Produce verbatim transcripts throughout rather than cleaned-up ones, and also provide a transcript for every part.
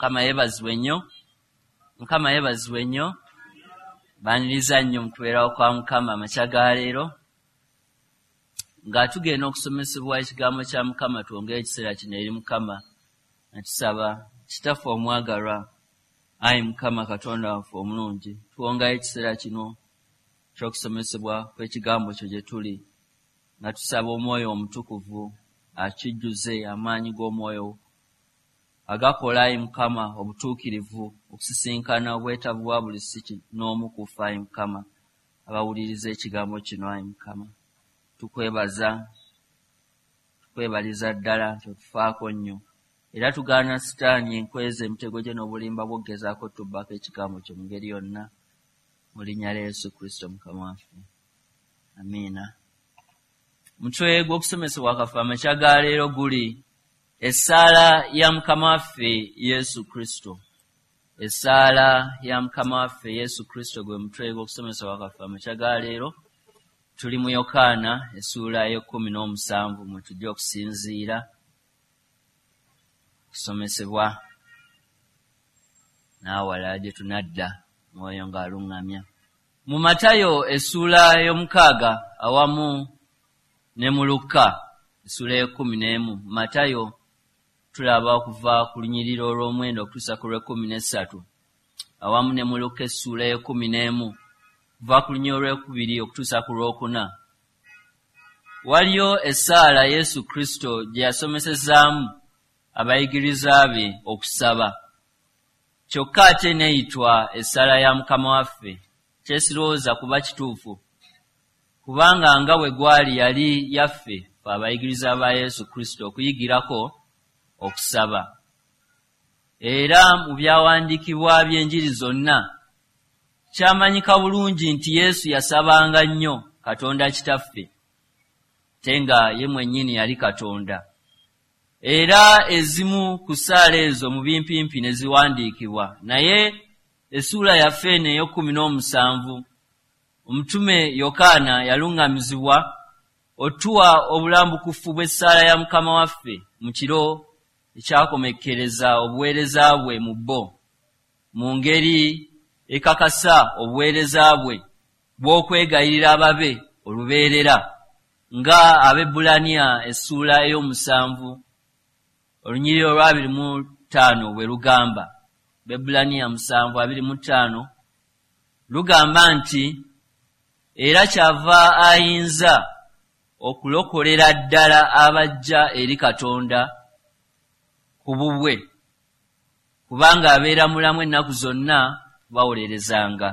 Mukama yeebazibwe nnyo. Mukama yeebazibwe nnyo. Baaniriza nnyo mu kubeerawo kwa Mukama amakya ga leero. Nga tugenda okusomesebwa ekigambo kya Mukama, twongere ekiseera kino eri Mukama nga tusaba. Kitaffe omwagalwa, ayi Mukama Katonda waffe omulungi, tuwongayo ekiseera kino ky'okusomesebwa kw'ekigambo kyo gye tuli, nga tusaba Omwoyo Omutukuvu akijjuze amaanyi g'Omwoyo agakola, ayi Mukama, obutuukirivu, okusisinkana obwetaavu bwa buli si n'omu ku ffe, ayi Mukama, abawuliriza ekigambo kino. Ayi Mukama, tukwebaza, tukwebaliza ddala nti otufaako nnyo, era tugaana Sitaani enkweza emitego gye n'obulimba bw'okugezaako tubbako ekigambo kyo mu ngeri yonna, mu linnya lya Yesu Kristo Mukama waffe, amiina. Mutwe gw'okusomesebwa kwaffe amakya ga leero guli essaala ya Mukama waffe Yesu Kristo. Essaala ya Mukama waffe Yesu Kristo gwe mutwe gw'okusomesebwa kwaffe amakya ga leero. Tuli mu Yokaana essuula y'ekkumi n'omusanvu mwe tujja okusinziira kusomesebwa n'awalala gye tunadda Mwoyo ng'aluŋŋamya. Mu Matayo essuula y'omukaaga awamu ne mu Lukka essuula y'ekkumi n'emu, Matayo tulaba okuva ku lunyiriri olw'omwenda okutuusa ku lw'ekkumi n'essatu, awamu ne mu Lukka essuula y'ekkumi n'emu okuva ku lunyiriri olw'ekubiri okutuusa ku lw'okuna, waliyo essaala Yesu Kristo gye yasomesezaamu abayigiriza be okusaba, kyokka ate n'eyitwa essaala ya Mukama waffe. Kyesirowooza kuba kituufu, kubanga nga bwe gwali yali yaffe ffe abayigiriza ba Yesu Kristo okuyigirako okusaba. Era mu byawandiikibwa by'enjiri zonna kyamanyika bulungi nti Yesu yasabanga nnyo Katonda Kitaffe, ate nga ye mwennyini yali Katonda. Era ezimu ku ssaala ezo mu bimpimpi ne ziwandiikibwa, naye essuula yaffe eno ey'ekkumi n'omusanvu, omutume Yokaana yaluŋŋamizibwa otuwa obulambukufu bw'essaala ya Mukama waffe mu kiro ekyakomekkereza obuweereza bwe mu bo, mu ngeri ekakasa obuweereza bwe bw'okwegayirira ababe olubeerera, nga Abaebbulaniya essuula ey'omusanvu olunyiriri olw'abiri mu ttaano bwe lugamba. Abaebbulaniya musanvu abiri mu ttaano lugamba nti, era kyava ayinza okulokolera ddala abajja eri Katonda ku bubwe, kubanga abeera mulamu ennaku zonna bawolerezanga.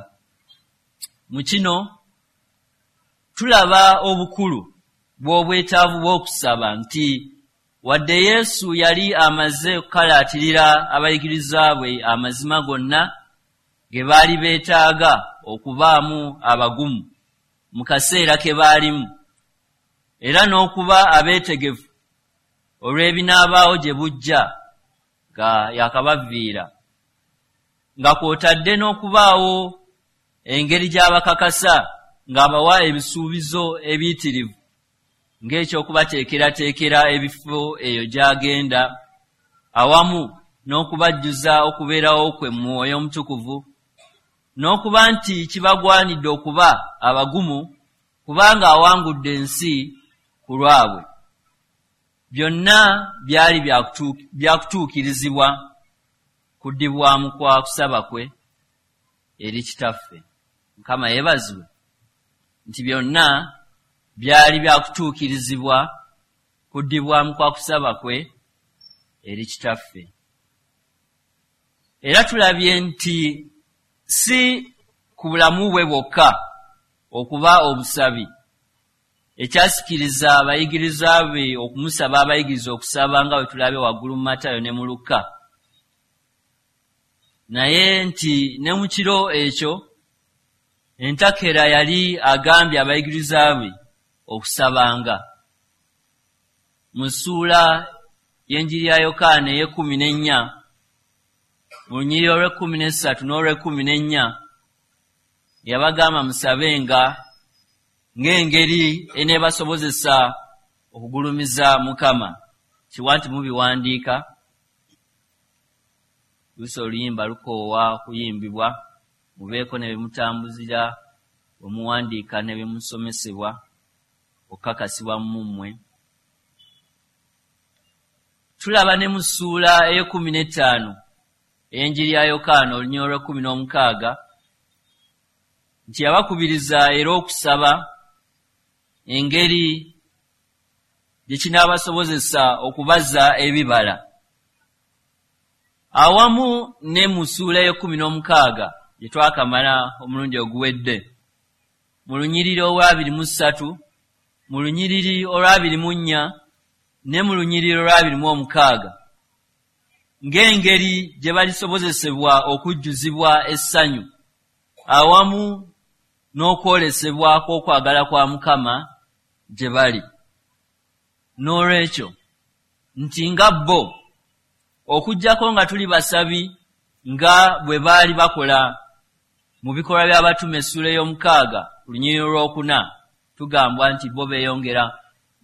Mu kino tulaba obukulu bw'obwetaavu bw'okusaba, nti wadde Yesu yali amaze okukalaatirira abayigiriza bwe amazima gonna ge baali beetaaga okubaamu abagumu mu kaseera ke baalimu, era n'okuba abeetegefu olw'ebinaabaawo gye bujja nga yakabaviira, nga kw'otadde n'okubaawo engeri gy'abakakasa ng'abawa ebisuubizo ebiyitirivu ng'ekyokubateekerateekera ebifo eyo gy'agenda, awamu n'okubajjuza okubeerawo kwe mu Mwoyo Omutukuvu, n'okuba nti kibagwanidde okuba abagumu kubanga awangudde ensi ku lwabwe. Byonna byali byakutuukirizibwa kuddibwamu kwa kusaba kwe eri Kitaffe. Mukama yeebazibwe nti byonna byali byakutuukirizibwa kuddibwamu kwa kusaba kwe eri Kitaffe. Era tulabye nti si ku bulamu bwe bwokka okuba obusabi ekyasikiriza abayigiriza be okumusaba abayigiriza okusaba, nga bwe tulabye waggulu mu Matayo ne mu Lukka, naye nti ne mu kiro ekyo entakera yali agambye abayigiriza be okusabanga. Mu ssuula y'enjiri ya Yokaana ey'ekkumi n'ennya, mu lunyiriri olw'ekkumi n'essatu n'olw'ekkumi n'ennya, yabagamba musabenga ng'engeri eneebasobozesa okugulumiza Mukama. Kiwa nti mubiwandiika. Luusi oluyimba lukoowa okuyimbibwa, mubeeko ne bemutambuzira, bwe muwandiika ne bemusomesebwa okukakasibwa mu mmwe. Tulaba ne mu ssuula ey'ekkumi n'ettaano ey'enjiri ya Yokaana, olunyiriri olw'ekkumi n'omukaaga, nti yabakubiriza era okusaba engeri gye kinaabasobozesa okubaza ebibala. Awamu ne mu ssuula ey'ekkumi n'omukaaga gye twakamala omulundi oguwedde, mu lunyiriri olw'abiri mu ssatu, mu lunyiriri olw'abiri mu nnya ne mu lunyiriri olw'abiri mu omukaaga, ng'engeri gye balisobozesebwa okujjuzibwa essanyu awamu n'okwolesebwa kw'okwagala kwa Mukama gye bali. N'olwekyo nti nga bo, okuggyako nga tuli basabi nga bwe baali bakola mu Bikolwa by'Abatume essuula ey'omukaaga ku lunyiriri olwokuna, tugambwa nti bo beeyongera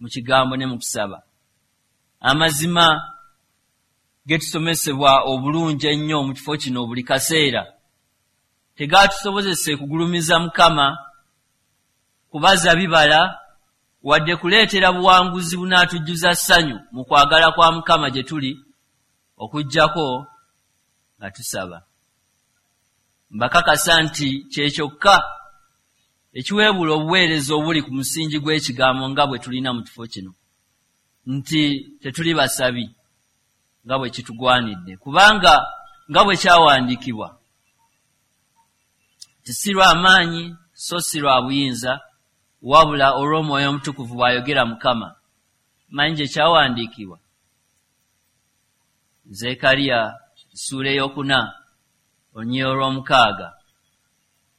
mu kigambo ne mu kusaba. Amazima getusomesebwa obulungi ennyo mu kifo kino buli kaseera tegaatusobozese kugulumiza Mukama, kubaza bibala, wadde kuleetera buwanguzi bunaatujjuza ssanyu mu kwagala kwa Mukama gye tuli, okuggyako nga tusaba. Mbakakasa nti kye kyokka ekiweebuula obuweereza obuli ku musingi gw'ekigambo nga bwe tulina mu kifo kino, nti tetuli basabi nga bwe kitugwanidde, kubanga nga bwe kyawandiikibwa nti si lwa maanyi so si lwa buyinza, wabula olw'Omwoyo Omutukuvu, bw'ayogera Mukama. Manyi gye kyawandiikibwa, Zekariya ssuula ey'okuna olunyiriri olw'omukaaga.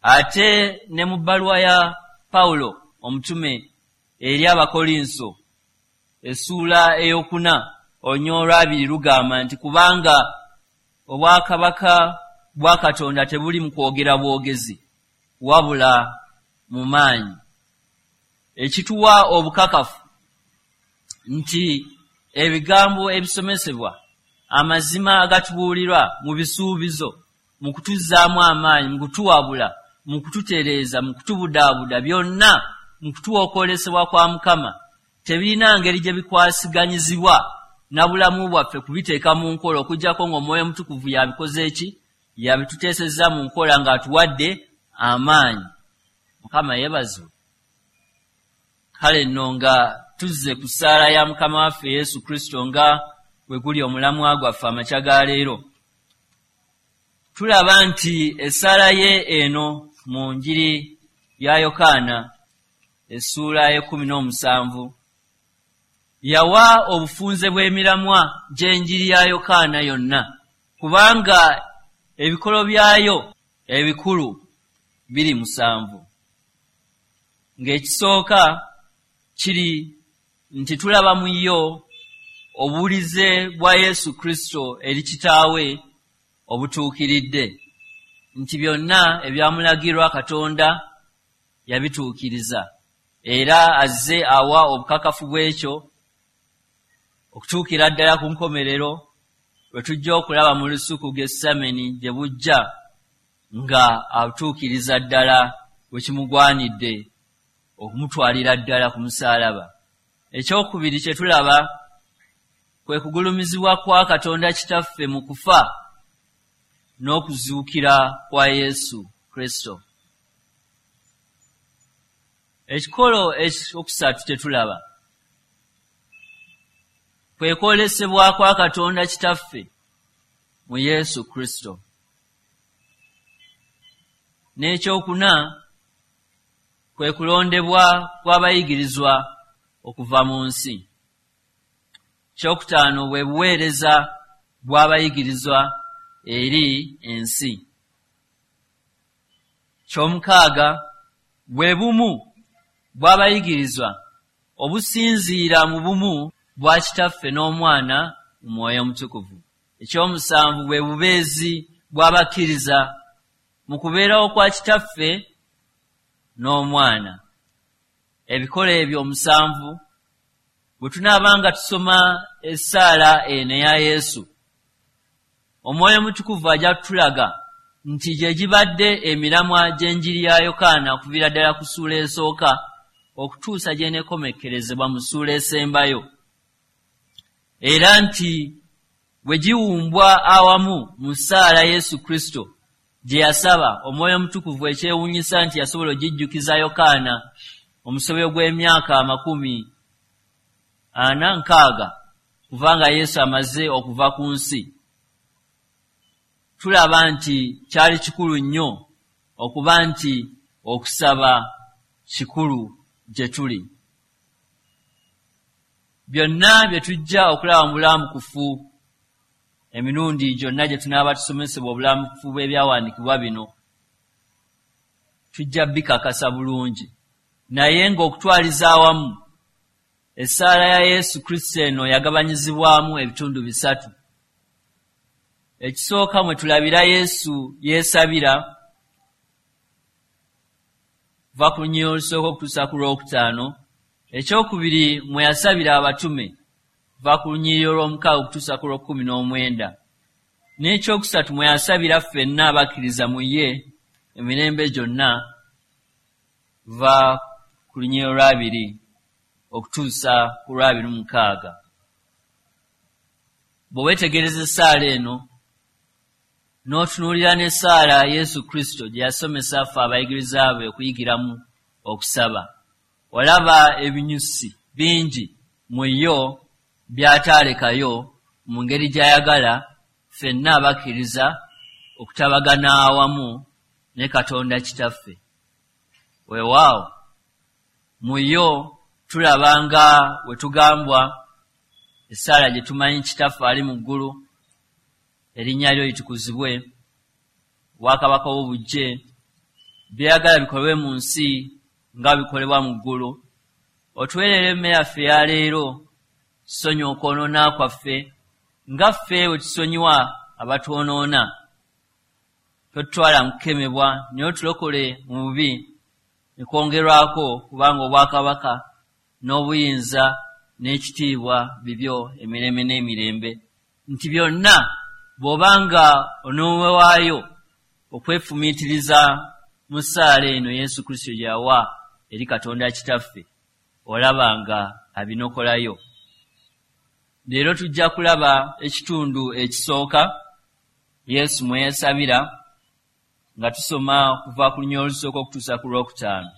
Ate ne mu bbaluwa ya Pawulo omutume eri Abakolinso essuula ey'okuna olunyiriri olw'abiri lugamba nti kubanga obwakabaka bwa Katonda tebuli mu kwogera bwogezi, wabula mu maanyi. Ekituwa obukakafu nti ebigambo ebisomesebwa, amazima agatubuulirwa mu bisuubizo, mu kutuzzaamu amaanyi, mu kutuwabula, mu kututereeza, mu kutubudaabuda, byonna mu kutuwa okwolesebwa kwa Mukama, tebirina ngeri gye bikwasiganyizibwa na bulamu bwaffe kubiteeka mu nkola, okuggyako ng'Omwoyo Omutukuvu yabikoze eki yabituteesezza mu nkola ng'atuwadde amaanyi. Mukama yeebazibwe. Kale nno nga tuzze ku ssaala ya Mukama waffe Yesu Kristo, nga bwe guli omulamwa gwaffe amakya ga leero, tulaba nti essaala ye eno mu njiri ya Yokaana essuula y'ekkumi n'omusanvu yawa obufunze bw'emiramwa gy'enjiri ya Yokaana yonna, kubanga ebikolo byayo ebikulu biri musanvu. Ng'ekisooka kiri nti tulaba mu yo obuwulize bwa Yesu Kristo eri Kitaawe obutuukiridde, nti byonna ebyamulagirwa Katonda yabituukiriza, era azze awa obukakafu bw'ekyo okutuukira ddala ku nkomerero lwe tujja okulaba mu lusuku Gesameni gye bujja, nga atuukiriza ddala bwe kimugwanidde okumutwalira ddala ku musaalaba. Ekyokubiri kye tulaba kwe kugulumizibwa kwa Katonda Kitaffe mu kufa n'okuzuukira kwa Yesu Kristo. Ekikolo ekyokusatu kye tulaba kwe kwolesebwa kwa Katonda Kitaffe mu Yesu Kristo. N'ekyokuna kwe kulondebwa kw'abayigirizwa okuva mu nsi. Kyokutaano bwe buweereza bw'abayigirizwa eri ensi. Kyomukaaga bwe bumu bw'abayigirizwa obusinziira mu bumu bwa Kitaffe n'Omwana mu Mwoyo Omutukuvu. Ekyomusanvu bwe bubeezi bw'abakkiriza mu kubeerawo kwa Kitaffe n'Omwana. Ebikolo ebyo omusanvu, bwe tunaaba nga tusoma essaala eno eya Yesu, Omwoyo Mutukuvu ajja kutulaga nti gye gibadde emiramwa gy'enjiri ya Yokaana okuviira ddala ku ssuula esooka okutuusa gy'eneekomekkerezebwa mu ssuula esembayo, era nti bwe giwumbwa awamu mu ssaala Yesu Kristo gye yasaba, Omwoyo Omutukuvu ekyewuunyisa nti yasobola ogijjukiza Yokaana omusobyo gw'emyaka amakumi ana nkaaga kubanga Yesu amaze okuva ku nsi. Tulaba nti kyali kikulu nnyo okuba nti okusaba kikulu gye tuli. Byonna bye tujja okulaba mu bulamukufu emirundi gyonna gye tunaaba tusomesebwa obulamukufu bw'ebyawandiikibwa bino, tujja bikakasa bulungi. Naye ng'okutwaliza awamu, essaala ya Yesu Kristo eno yagabanyizibwamu ebitundu bisatu. Ekisooka mwe tulabira Yesu yeesabira, va ku lunyiriri olusooka okutuusa ku lwokutaano. Ekyokubiri mwe yasabira abatume, va ku lunyiriri olw'omukaaga okutuusa ku lw'okkumi n'omwenda. N'ekyokusatu mwe yasabira ffenna abakkiriza mu ye emirembe gyonna, va ku lunyiriri olwabiri okutuusa ku lwabiri mu mukaaga. Bwe weetegereza essaala eno n'otunuulira n'essaala Yesu Kristo gye yasomesa ffe abayigiriza be okuyigiramu okusaba, olaba ebinyusi bingi mu yo by'ataalekayo mu ngeri gy'ayagala ffenna abakkiriza okutabagana awamu ne Katonda Kitaffe. Weewaawo mu yo tulaba nga we tugambwa essaala gye tumanyi, Kitaffe ali mu ggulu, erinnya lyo litukuzibwe, obwakabaka bwo bujje, by'oyagala bikolebwe mu nsi nga bikolebwa mu ggulu. Otuweerere emmere yaffe eya leero, tusonyiwe okwonoona kwaffe nga ffe bwe tusonyiwa abatwonoona. Totutwala mu kukemebwa, naye otulokole mu bubi. Ne kwongerwako, kubanga obwakabaka n'obuyinza n'ekitiibwa bibyo emirembe n'emirembe. Nti byonna bw'obanga onoowaayo okwefumiitiriza mu ssaala eno Yesu Kristo gye yawa eri Katonda Kitaffe, olaba nga abinokolayo. Leero tujja kulaba ekitundu ekisooka Yesu mwe yeesabira, nga tusoma okuva ku lunyiriri olusooka okutuusa ku lwokutaano.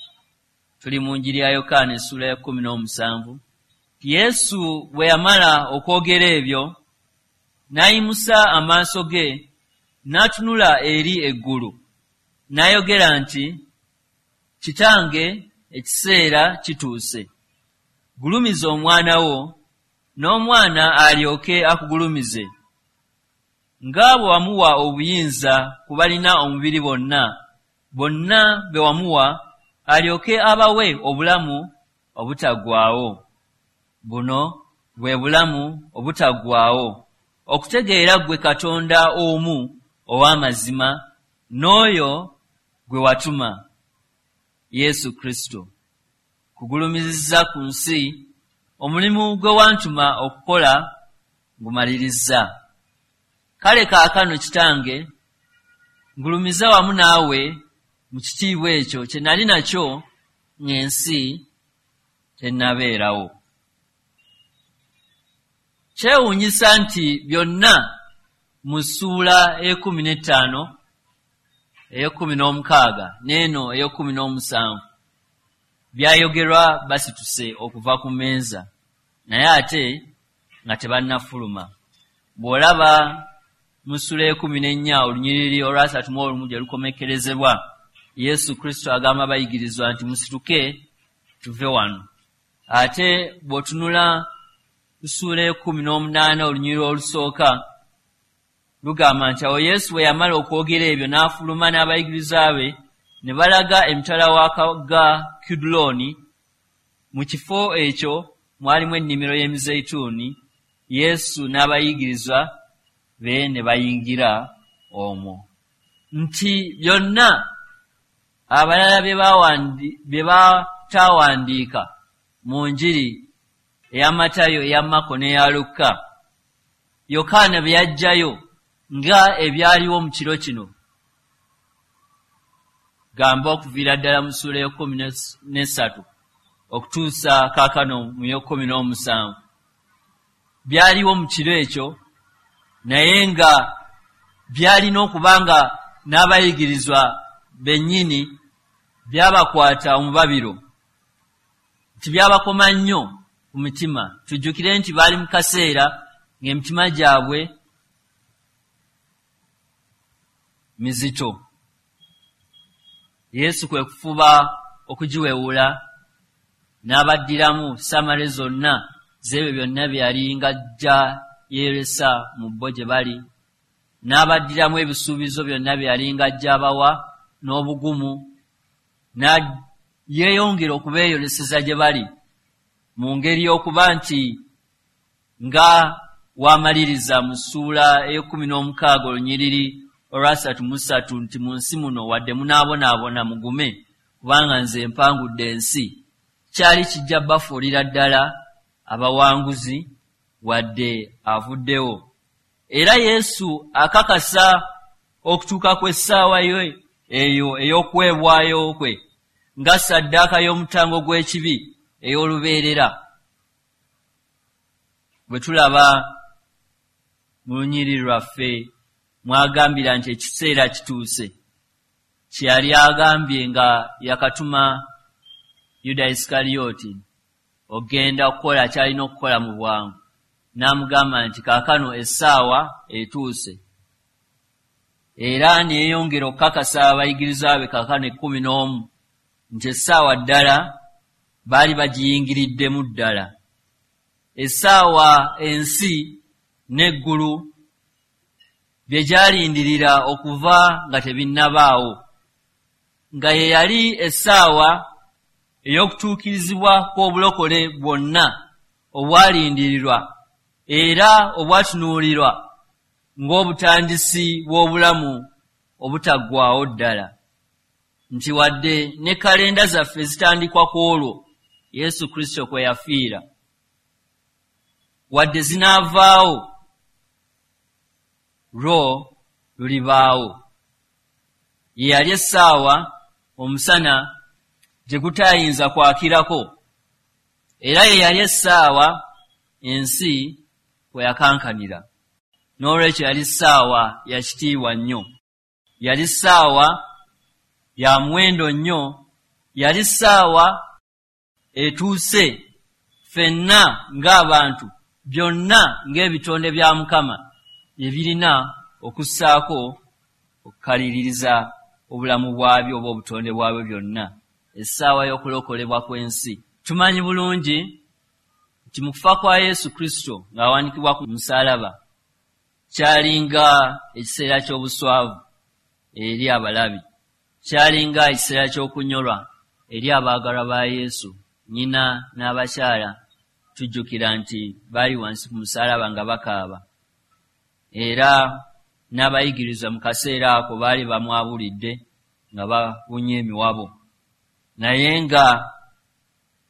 Tuli mu njiri ya Yokaana essuula ya kkumi n'omusanvu. Yesu bwe yamala okwogera ebyo, n'ayimusa amaaso ge n'atunula eri eggulu, n'ayogera nti, Kitange, ekiseera kituuse, gulumiza omwana wo, n'omwana alyoke akugulumize, nga bwe wamuwa obuyinza ku balina omubiri bonna, bonna be wamuwa, alyoke abawe obulamu obutaggwaawo. Buno bwe bulamu obutaggwaawo, okutegeera ggwe Katonda omu ow'amazima, n'oyo gwe watuma, Yesu Kristo. Kugulumizizza ku nsi, omulimu gwe wantuma okukola ngumalirizza. Kale kaakano Kitange, ngulumiza wamu naawe mu kitiibwa ekyo kye nali nakyo ng'ensi tennabeerawo. Kyewuunyisa nti byonna mu ssuula ey'ekkumi n'ettaano, ey'ekkumi n'omukaaga n'eno ey'ekkumi n'omusanvu byayogerwa basituse okuva ku mmeeza, naye ate nga tebannafuluma. Bw'olaba mu ssuula ey'ekkumi n'ennya olunyiriri olwasatu mu olumu gye lukomekkerezebwa, Yesu Kristo agamba abayigirizwa nti musituke tuve wano. Ate bw'otunula ku ssuula ey'ekkumi n'omunaana olunyiriri olusooka lugamba nti awo Yesu bwe yamala okwogera ebyo n'afuluma n'abayigiriza be ne balaga emitala w'akagga Kidulooni. Mu kifo ekyo mwalimu ennimiro y'emizeyituuni, Yesu n'abayigirizwa be ne bayingira omwo. Nti byonna abalala bye bataawandiika mu njiri eya Matayo, eya Makko n'eya Lukka, Yokaana bye yaggyayo nga ebyaliwo mu kiro kino, gamba okuviira ddala mu ssuula y'ekkumi n'essatu okutuusa kaakano mu y'ekkumi n'omusanvu, byaliwo mu kiro ekyo, naye nga byalina okuba nga n'abayigirizwa bennyini byabakwata omubabiro, nti byabakoma nnyo ku mitima. Tujjukire nti baali mu kaseera ng'emitima gyabwe mizito. Yesu kwe kufuba okugiwewula n'abaddiramu samale zonna z'ebyo byonna bye yali ng'ajja yeeresa mu bo gye bali, n'abaddiramu ebisuubizo byonna bye yali ng'ajja abawa n'obugumu, yeeyongera okubeeyoleseza gye bali mu ngeri y'okuba nti nga waamaliriza mu ssuula ey'ekkumi n'omukaaga olunyiriri olwasatu mu ssatu nti mu nsi muno wadde munaabonaabona mugume, kubanga nze mpangudde ensi. Kyali kijja bafuulira ddala abawanguzi wadde avuddewo. Era Yesu akakasa okutuuka kw'essaawa ye eyo ey'okuweebwayo kwe nga ssaddaaka y'omutango gw'ekibi ey'olubeerera, bwe tulaba mu lunyiriri lwaffe mwagambira nti ekiseera kituuse, kye yali agambye nga yakatuma Yuda Isikaliyoti okugenda okukola ky'alina okukola mu bwangu, n'amugamba nti kaakano essaawa etuuse. Era ne yeeyongera okukakasa abayigirizwa be kaakano ekkumi n'omu nti essaawa ddala baali bagiyingiriddemu ddala, essaawa ensi n'eggulu bye gyalindirira okuva nga tebinnabaawo, nga ye yali essaawa ey'okutuukirizibwa kw'obulokole bwonna obwalindirirwa era obwatunuulirwa ng'obutandisi bw'obulamu obutaggwaawo ddala, nti wadde ne kalenda zaffe zitandikwa ku olwo Yesu Kristo kwe yafiira, wadde zinaavaawo lwo lulibaawo. Ye yali essaawa omusana gye gutayinza kwakirako, era ye yali essaawa ensi kwe yakankanira. N'olwekyo yali ssaawa ya kitiibwa nnyo, yali ssaawa ya muwendo nnyo, yali ssaawa etuuse ffenna ng'abantu byonna ng'ebitonde bya Mukama ebirina okussaako okukaliririza obulamu bwabyo oba obutonde bwabyo byonna, essaawa y'okulokolebwa kw'ensi. Tumanyi bulungi nti mu kufa kwa Yesu Kristo ng'awanikibwa ku musaalaba kyalinga ekiseera ky'obuswavu eri abalabi, kyalinga ekiseera ky'okunyolwa eri abaagalwa ba Yesu. Nnyina n'abakyala tujjukira nti baali wansi ku musaalaba nga bakaaba, era n'abayigirizwa mu kaseera ako baali bamwabulidde nga babunye emiwabo. Naye nga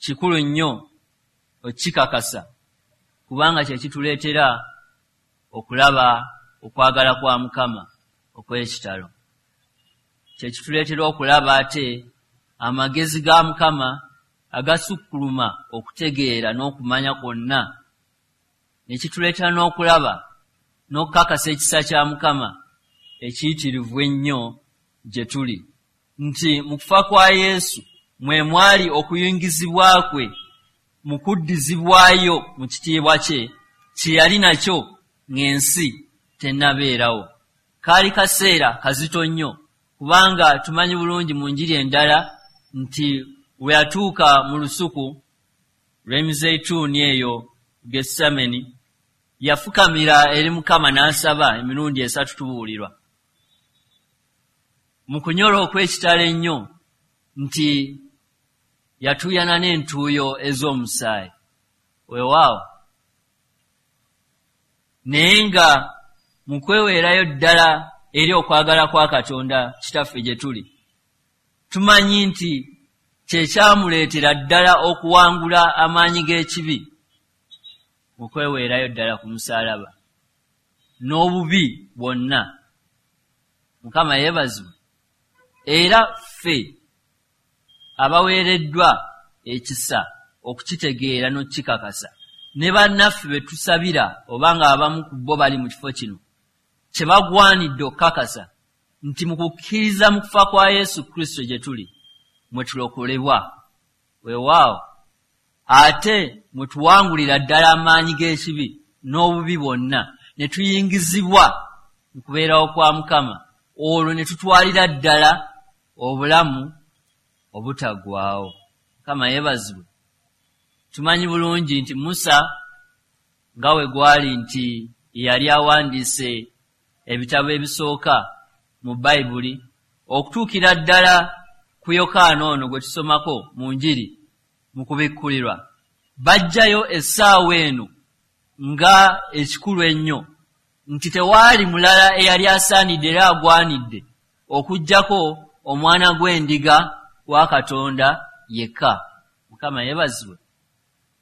kikulu nnyo okikakasa, kubanga kye kituleetera okulaba okwagala kwa Mukama okw'ekitalo, kye kituleetera okulaba ate amagezi ga Mukama agasukkuluma okutegeera n'okumanya kwonna, ne kituleetera n'okulaba n'okukakasa ekisa kya Mukama ekiyitirivu ennyo gye tuli, nti mu kufa kwa Yesu mwe mwali okuyingizibwa kwe mu kuddizibwayo mu kitiibwa kye kye yali nakyo ng'ensi tennabeerawo. Kaali kaseera kazito nnyo, kubanga tumanyi bulungi mu njiri endala nti we yatuuka mu lusuku lw'emizeyituuni eyo Getsemani, yafukamira eri Mukama n'asaba emirundi esatu tubuulirwa mu kunyola okw'ekitalo ennyo nti yatuuyana n'entuuyo ez'omusaayi. Weewaawo, naye nga mu kweweerayo ddala eri okwagala kwa Katonda Kitaffe gye tuli, tumanyi nti kye kyamuleetera ddala okuwangula amaanyi g'ekibi mu kweweerayo ddala ku musaalaba. n'obubi bwonna. Mukama yeebazibwe. Era ffe abaweereddwa ekisa okukitegeera n'okukikakasa, ne bannaffe be tusabira oba nga abamu ku bo bali mu kifo kino, kye bagwanidde okukakasa nti mu kukkiriza mu kufa kwa Yesu Kristo gye tuli mwe tulokolebwa. Weewaawo, ate mwe tuwangulira ddala amaanyi g'ekibi n'obubi bwonna, ne tuyingizibwa mu kubeerawo kwa Mukama, olwo ne tutwalira ddala obulamu obutaggwaawo. Mukama yeebazibwe. Tumanyi bulungi nti Musa nga we gwali nti yali awandiise ebitabo ebisooka mu Bayibuli okutuukira ddala ku Yokaana ono gwe tusomako mu Njiri mu kubikkulirwa, bajjayo essaawa eno nga ekikulu ennyo nti tewaali mulala eyali asaanidde era agwanidde okuggyako omwana gw'endiga wa Katonda yekka. Mukama yeebazibwe.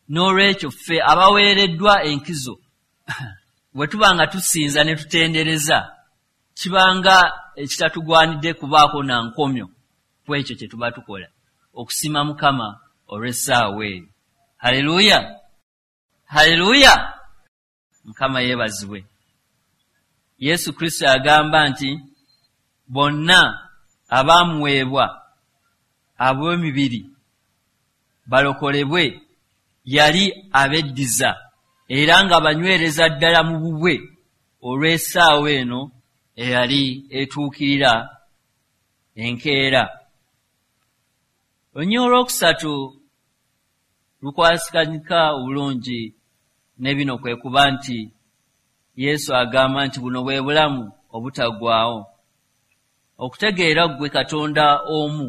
N'olwekyo ffe abaweereddwa enkizo bwe tuba nga tusinza ne tutendereza, kibanga ekitatugwanidde kubaako na nkomyo ku ekyo kye tuba tukola, okusiima Mukama olw'essaawa eyo. Haleluya, haleluya! Mukama yeebazibwe. Yesu Kristo agamba nti bonna abaamuweebwa ab'emibiri balokolebwe, yali abeddiza era nga banywereza ddala mu bubwe olw'essaawa eno eyali etuukirira enkeera. Olunyiriri olwokusatu lukwasiganyika obulungi ne bino, kwe kuba nti Yesu agamba nti buno bwe bulamu obutaggwaawo, okutegeera ggwe Katonda omu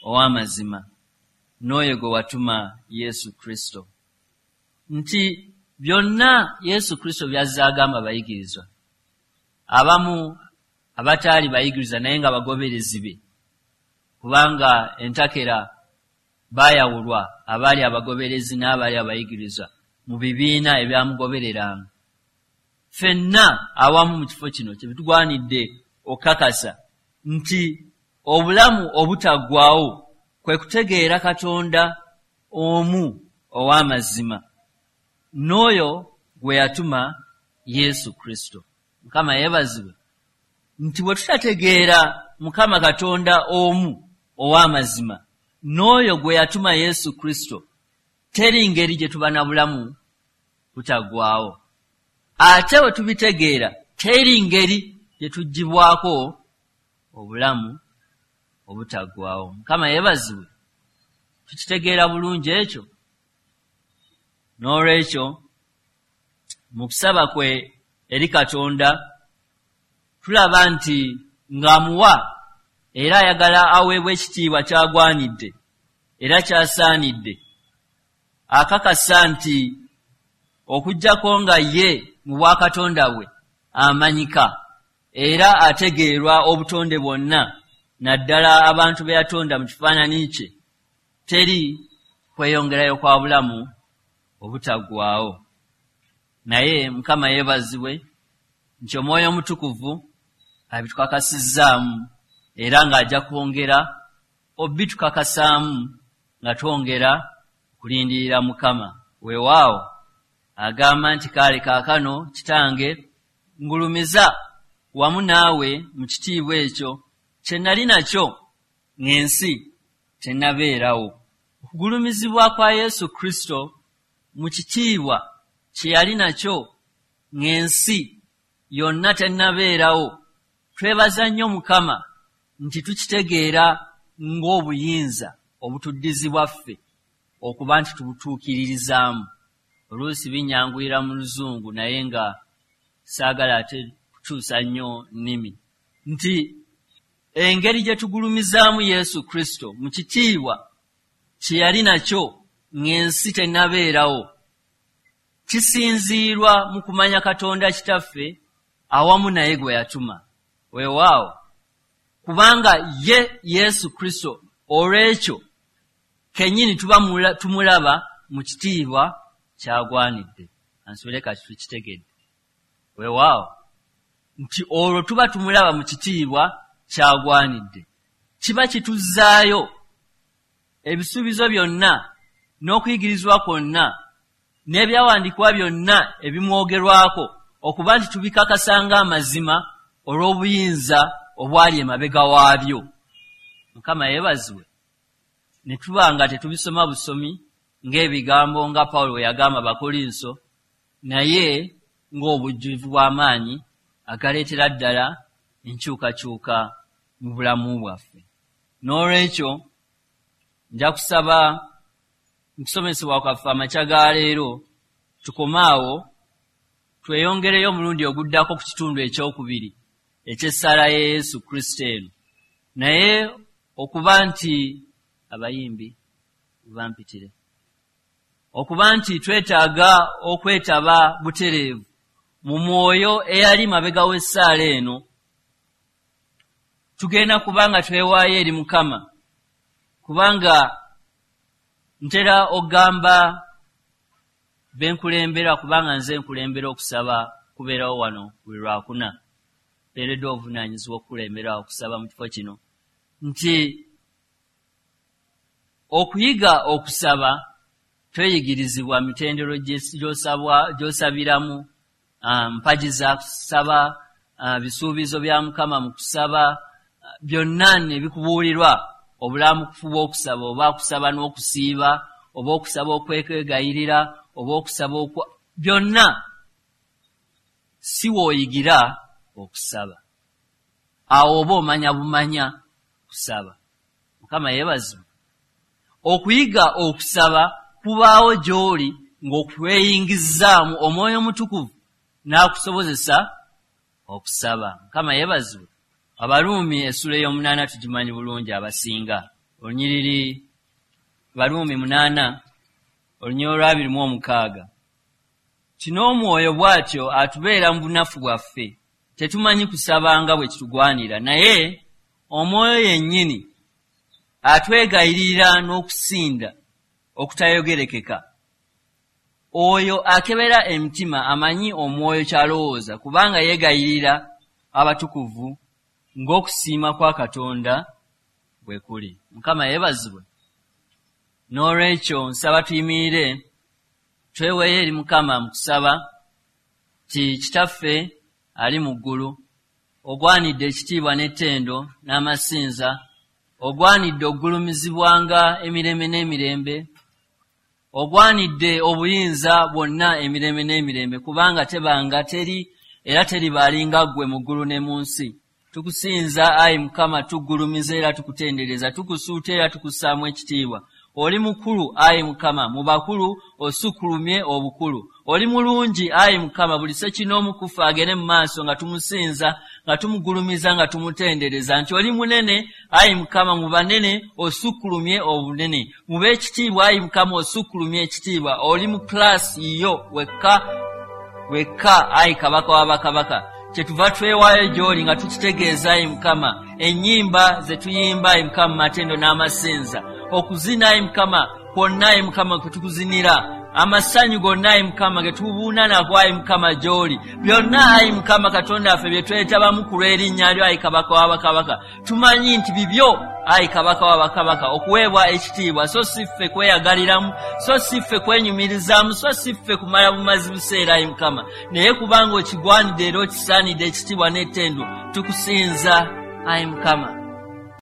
ow'amazima n'oyo gwe watuma Yesu Kristo. Nti byonna Yesu Kristo by'azze agamba abayigirizwa, abamu abataali bayigirizwa naye nga bagoberezi be, kubanga entakera baayawulwa abaali abagoberezi n'abaali abayigirizwa mu bibiina ebyamugobereranga. Ffenna awamu mu kifo kino kye bitugwanidde okukakasa nti obulamu obutaggwaawo kwe kutegeera Katonda omu ow'amazima n'oyo gwe yatuma Yesu Kristo. Mukama yeebazibwe. Nti bwe tutategeera Mukama Katonda omu ow'amazima n'oyo gwe yatuma Yesu Kristo, teri ngeri gye tuba na bulamu butaggwaawo. Ate bwe tubitegeera, teri ngeri gye tuggyibwako obulamu obutaggwaawo. Mukama yeebazibwe. Tukitegeera bulungi ekyo. N'olwekyo mu kusaba kwe eri Katonda tulaba nti ng'amuwa era ayagala aweebwe ekitiibwa ky'agwanidde era ky'asaanidde, akakasa nti okuggyako nga ye mu bwakatonda bwe amanyika era ategeerwa obutonde bwonna, naddala abantu be yatonda mu kifaananyi kye, teri kweyongerayo kwa bulamu obutaggwaawo. Naye Mukama yeebazibwe nti Omwoyo Omutukuvu abitukakasizzaamu era ng'ajja kwongera obitukakasaamu nga twongera kulindirira Mukama. Weewaawo agamba nti kale kaakano Kitange ngulumiza wamu naawe mu kitiibwa ekyo kye nali nakyo ng'ensi tennabeerawo. Okugulumizibwa kwa Yesu Kristo mu kitiibwa kye yali nakyo ng'ensi yonna tennabeerawo, twebaza nnyo Mukama nti tukitegeera ng'obuyinza obutuddizibwa ffe okuba nti tubutuukiririzaamu. Oluusi binnyanguyira mu Luzungu naye nga saagala ate kukyusa nnyo nnimi. Nti engeri gye tugulumizaamu Yesu Kristo mu kitiibwa kye yali nakyo ng'ensi tennabeerawo, kisinziirwa mu kumanya Katonda Kitaffe awamu naye gwe yatuma. Weewaawo, kubanga ye Yesu Kristo olw'ekyo kennyini tuba tumulaba mu kitiibwa ky'agwanidde. Ansuubire kati tukitegedde. Weewaawo, Nti olwo tuba tumulaba mu kitiibwa kyagwanidde. Kiba kituzzaayo ebisuubizo byonna n'okuyigirizwa kwonna n'ebyawandiikibwa byonna ebimwogerwako okuba nti tubikakasanga amazima olw'obuyinza obwali emabega waabyo. Mukama yeebazibwe. Ne tuba nga tetubisoma busomi ng'ebigambo nga Pawulo bwe yagamba Abakolinso, naye ng'obujjuvu bw'amaanyi agaleetera ddala enkyukakyuka mu bulamu bwaffe. N'olwekyo nja kusaba mu kusomesebwa kwaffe amakya ga leero tukome awo, tweyongereyo omulundi oguddako ku kitundu ekyokubiri eky'essaala ya Yesu Kristo eno. Naye okuba nti abayimbi bampitire, okuba nti twetaaga okwetaba butereevu mu mwoyo eyali mabega w'essaala eno, tugenda kubanga twewaayo eri Mukama. Kubanga ntera okugamba benkulembera, kubanga nze nkulembera okusaba kubeerawo wano buli lwakuna, mpeereddwa obuvunaanyizibwa okukulembera okusaba mu kifo kino, nti okuyiga okusaba tweyigirizibwa mitendero gy'osabiramu, mpagi za kusaba, bisuubizo bya Mukama mu kusaba, byonna ne bikubuulirwa obulamukufu bw'okusaba, oba kusaba n'okusiiba, oba okusaba okwegayirira, oba okusaba okwa byonna si w'oyigira okusaba. Awo oba omanya bumanya kusaba. Mukama yeebazibwe. Okuyiga okusaba kubaawo gy'oli ng'okweyingizaamu Omwoyo Omutukuvu n'akusobozesa okusaba. Mukama yeebazibwe. Abaruumi essula ey'omunaana tugimanyi bulungi abasinga. Olunyiriri Baruumi munaana olunyiriri olw'abiri mu omukaaga. Kino Omwoyo bw'atyo atubeera mu bunafu bwaffe, tetumanyi kusaba nga bwe kitugwanira, naye Omwoyo yennyini atwegayirira n'okusinda okutayogerekeka. Oyo akebera emitima amanyi Omwoyo ky'alowooza, kubanga yeegayirira abatukuvu ng'okusiima kwa Katonda bwe kuli. Mukama yeebazibwe. N'olwekyo nsaba tuyimirire tweweeyo eri Mukama mu kusaba nti Kitaffe ali mu ggulu, ogwanidde ekitiibwa n'ettendo n'amasinza, ogwanidde okugulumizibwanga emirembe n'emirembe, ogwanidde obuyinza bwonna emirembe n'emirembe, kubanga tebanga teri era teribaalinga ggwe mu ggulu ne mu nsi. Tukusinza ayi Mukama, tuggulumiza era tukutendereza, tukusuuta era tukussaamu ekitiibwa. Oli mukulu ayi Mukama, mu bakulu osukkulumye obukulu. Oli mulungi ayi Mukama, buli ssekinoomu ku ffe agende mu maaso nga tumusinza, nga tumugulumiza, nga tumutendereza nti oli munene ayi Mukama, mu banene osukkulumye obunene, mu b'ekitiibwa ayi Mukama osukkulumye ekitiibwa. Oli mu kilaasi yo wekka wekka ayi Kabaka w'abakabaka. Kyetuva twewaayo gy'oli nga tukitegeeza ayi Mukama, ennyimba ze tuyimba ayi Mukama matendo n'amasinza, okuzina ayi Mukama kwonna ayi Mukama kwe tukuzinira, amasanyu gonna ayi Mukama ge tubuuna nago ayi Mukama gy'oli, byonna ayi Mukama Katonda waffe bye twetabamu ku lw'erinnya lyo ayi Kabaka w'abakabaka. Tumanyi nti bibyo ayi Kabaka w'abakabaka okuweebwa ekitiibwa, so si ffe kweyagaliramu, so si ffe kwenyumirizaamu, so si ffe kumala bumazi buseera ayi Mukama, naye kubanga okigwanidde era okisaanidde ekitiibwa n'ettendo, tukusinza ayi Mukama.